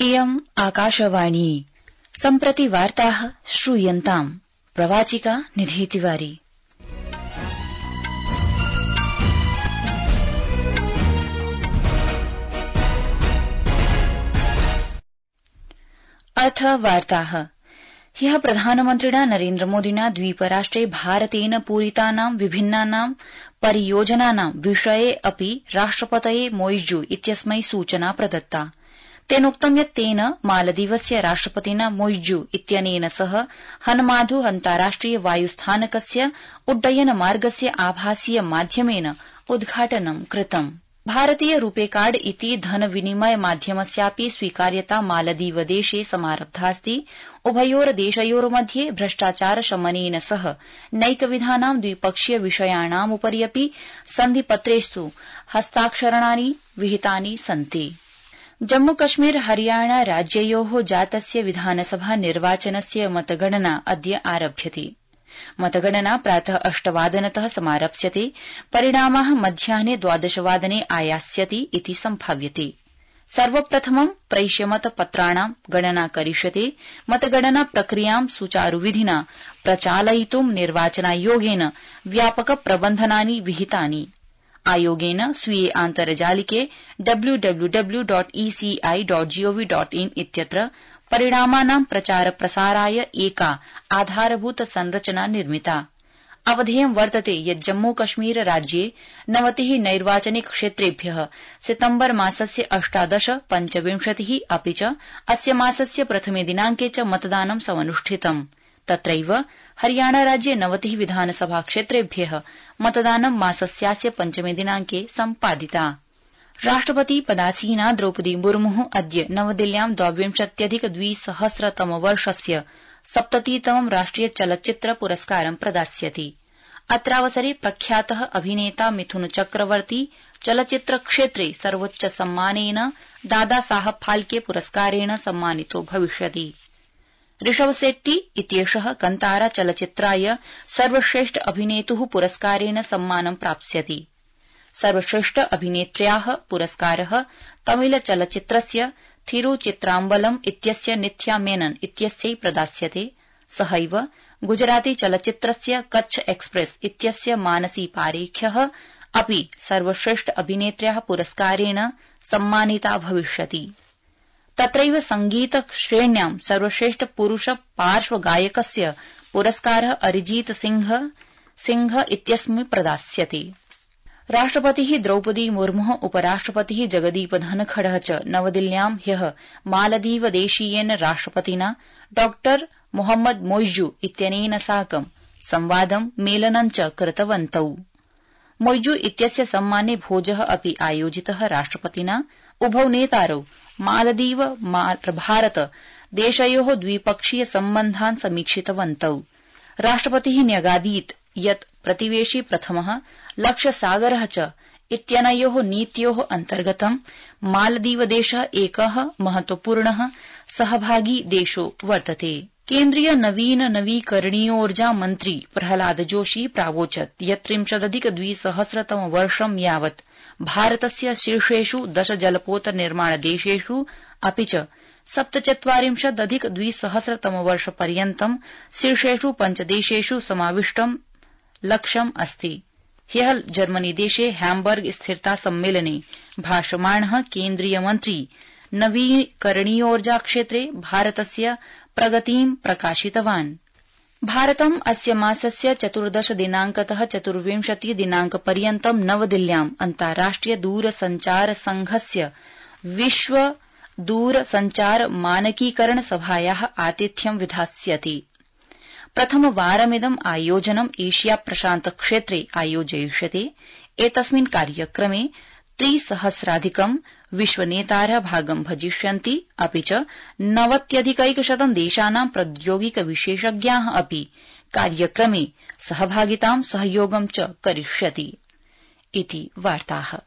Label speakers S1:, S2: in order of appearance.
S1: इयम् आकाशवाणी सम्प्रति वार्ताः श्रूयन्ताम् प्रवाचिका निधि तिवारी। अथ वार्ताः। ह्यः प्रधानमन्त्रिणा नरेन्द्रमोदिना द्वीपराष्ट्रे भारतेन पूरितानां विभिन्नानां परियोजनानां विषये अपि राष्ट्रपतये मोइज्जू इत्यस्मै सूचना प्रदत्ता। तेनोक्तं यत् तेन मालदीवस्य राष्ट्रपतिना मोइज्जू इत्यनेन सह हनमाधु अन्ताराष्ट्रिय वायुस्थानकस्य उड्डयन मार्गस्य आभासीय माध्यमेन उद्घाटनं कृतम्। भारतीय रूपे कार्ड इति धन विनिमय माध्यमस्यापि स्वीकार्यता मालदीवदेशे समारब्धास्ति। उभयोर्देशयोर्मध्ये भ्रष्टाचार शमनेन सह नैकविधानां द्विपक्षीय विषयाणामुपरि अपि सन्धिपत्रेषु हस्ताक्षराणि विहितानि सन्ति। जम्मू कश्मीर हरियाणा राज्ययोः जातस्य विधानसभा निर्वाचनस्य मतगणना अद्य आरभ्यते। मतगणना प्रातः 8 वादनतः समारप्स्यते। परिणामाः मध्याह्ने 12 वादने आयास्यति इति सम्भाव्यते। सर्वप्रथमं प्रैष्यमतपत्राणां गणना करिष्यते। मतगणना प्रक्रियां सुचारुविधिना प्रचालयितुं निर्वाचनायोगेन व्यापक प्रबन्धनानि विहितानि। आयोगेन स्वीये आन्तर्जालिके www.eci.gov.in इत्यत्र परिणामानां प्रचार प्रसाराय एका आधारभूत संरचना निर्मिता। अवधेयं वर्तते यत् जम्मू कश्मीर राज्ये 90 नैर्वाचनिक क्षेत्रेभ्यः सितम्बर मासस्य 18, 25 अपि च अस्य मासस्य प्रथमे दिनांके च मतदानं समनुष्ठितम्। तत्रैव हरियाणा राज्ये 90 विधानसभा क्षेत्रेभ्यः मतदानं मासस्यास्य 5 दिनांके सम्पादिता। राष्ट्रपति पदासीना द्रौपदी मुर्मुः अद्य नवदिल्ल्यां 22,200 70तमं राष्ट्रिय चलच्चित्र पुरस्कारं प्रदास्यति। अत्रावसरे प्रख्यातः अभिनेता मिथुन चक्रवर्ती चलच्चित्र क्षेत्रे सर्वोच्च सम्मानेन दादा साहब फाल्के पुरस्कारेण सम्मानितो भविष्यति। ऋषभ शेट्टी इत्येषः कंतारा चलच्चित्राय सर्वश्रेष्ठ अभिनेतुः पुरस्कारेण सम्मानं प्राप्स्यति। सर्वश्रेष्ठ अभिनेत्र्याः पुरस्कारः तमिल चलच्चित्रस्य थिरुचित्राम्बलम् इत्यस्य निथ्या मेनन इत्यस्यै प्रदास्यते। सहैव गुजराती चलच्चित्रस्य कच्छ एक्सप्रेस इत्यस्य मानसी पारेख्यः अपि सर्वश्रेष्ठ अभिनेत्र्याः पुरस्कारेण सम्मानिता भविष्यति। तत्रैव संगीत श्रेण्यां सर्वश्रेष्ठ पुरुष पार्श्वगायकस्य पुरस्कारः अरिजीत सिंह इत्यस्मै प्रदास्यते। राष्ट्रपतिः द्रौपदी मुर्मुः उपराष्ट्रपतिः जगदीप धनखडः च नवदिल्ल्यां ह्यः मालदीवदेशीयेन राष्ट्रपतिना डॉ मोहम्मद मोइज्जू इत्यनेन साकं संवादं मेलनं च कृतवन्तौ। मोइज्जू इत्यस्य सम्माने भोजः अपि आयोजितः। राष्ट्रपतिना उभौ नेतारौ मालदीव भारत देशयोः द्विपक्षीय सम्बन्धान् समीक्षितवन्तौ। राष्ट्रपतिः न्यगादीत् यत् प्रतिवेशी प्रथमः लक्ष्यसागरः च इत्यनयोः नीत्योः अन्तर्गतं मालदीवदेशः एकः महत्वपूर्णः सहभागी देशो वर्तते। केन्द्रीय नवीकरणीयोर्जा मन्त्री प्रहलाद जोशी प्रावोचत् यत् 30,200 वर्षं यावत् भारतस्य शीर्षेषु 10 जलपोत निर्माण देशेषु अपि च 47,200 वर्षपर्यन्तं शीर्षेषु 5 देशेषु समाविष्टं लक्ष्यम् अस्ति। ह्यः जर्मनी देशे हैम्बर्ग स्थिरता सम्मेलने भाषमाणः केन्द्रीय मन्त्री नवीकरणीयोर्जा क्षेत्रे भारतस्य प्रगतिं प्रकाशितवान्। भारतम् अस्य मासस्य 14 दिनांकतः 24 दिनांकपर्यन्तं नवदिल्ल्याम् अन्ताराष्ट्रिय दूरसञ्चार संघस्य विश्व दूरसञ्चार मानकीकरण सभायाः आतिथ्यं विधास्यति। प्रथमवारमिदम् आयोजनम् एशिया प्रशान्त क्षेत्रे आयोजयिष्यते। एतस्मिन् कार्यक्रमे 3,000 विश्वनेतारः भागं भजिष्यन्ति। अपि च 90,100 देशानां प्रौद्योगिक विशेषज्ञाः अपि कार्यक्रमे सहभागितां सहयोगं च करिष्यति। इति वार्ताः।